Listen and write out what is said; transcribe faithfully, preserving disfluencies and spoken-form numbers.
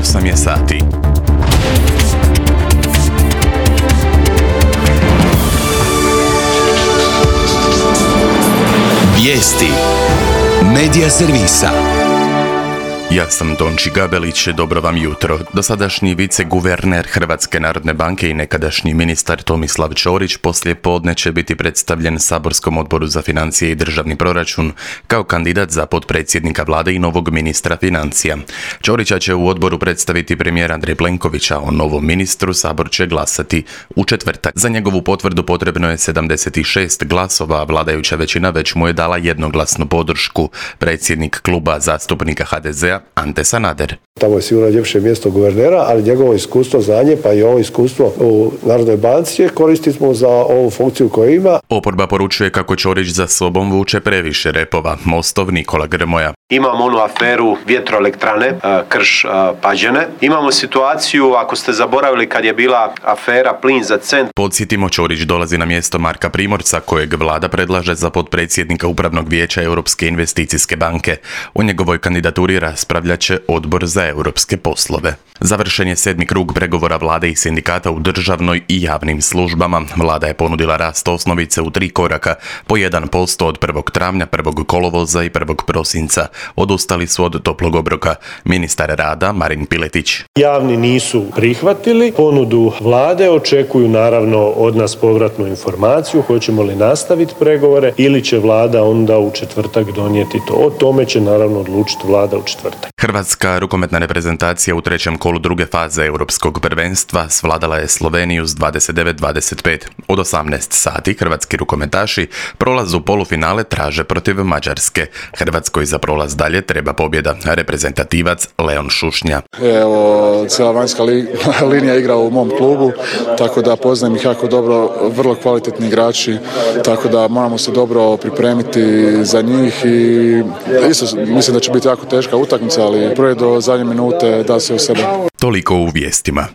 osam je sati. Vijesti Medija servisa. Ja sam Tonči Gabelić, dobro vam jutro. Dosadašnji viceguverner Hrvatske narodne banke i nekadašnji ministar Tomislav Ćorić poslije podne će biti predstavljen Saborskom odboru za financije i državni proračun kao kandidat za potpredsjednika vlade i novog ministra financija. Ćorića će u odboru predstaviti premijer Andrej Plenković, a o novom ministru Sabor će glasati u četvrtak. Za njegovu potvrdu potrebno je sedamdeset šest glasova, a vladajuća većina već mu je dala jednoglasnu podršku. Predsjednik kluba zastupnika ha de zea Ante Sanader. Tamo je sigurno ljepše mjesto guvernera, ali njegovo iskustvo, znanje, pa i ovo iskustvo u Narodnoj banci koristimo za ovu funkciju koju ima. Oporba poručuje kako Ćorić za sobom vuče previše repova. Mostov Nikola Grmoja. Imamo onu aferu vjetroelektrane Krš-Pađene. Imamo situaciju, ako ste zaboravili, kad je bila afera plin za cent. Podsjetimo, Ćorić dolazi na mjesto Marka Primorca, kojeg vlada predlaže za potpredsjednika Upravnog vijeća Europske investicijske banke. O njegovoj kandidaturi raspravljat će Odbor za europske poslove. Završen je sedmi krug pregovora vlade i sindikata u državnoj i javnim službama. Vlada je ponudila rast osnovice u tri koraka, po jedan posto od prvog travnja, prvog kolovoza i prvog prosinca. Odustali su od toplog obroka. Ministar rada Marin Piletić. Javni nisu prihvatili ponudu vlade, očekuju naravno od nas povratnu informaciju, hoćemo li nastaviti pregovore ili će vlada onda u četvrtak donijeti to. O tome će naravno odlučiti vlada u četvrtak. Hrvatska rukometna reprezentacija u trećem kolu druge faze europskog prvenstva svladala je Sloveniju s dvadeset devet dvadeset pet. Od osamnaest sati hrvatski rukometaši prolaz u polufinale traže protiv Mađarske. Hrvatskoj za prolaz dalje treba pobjeda. Reprezentativac Leon Šušnja. Evo, cijela vanjska li, linija igra u mom klubu, tako da poznajem ih jako dobro, vrlo kvalitetni igrači, tako da moramo se dobro pripremiti za njih i isto mislim da će biti jako teška utakmica, ali prije do zadnje minute da se u sebe. Toliko u vijestima.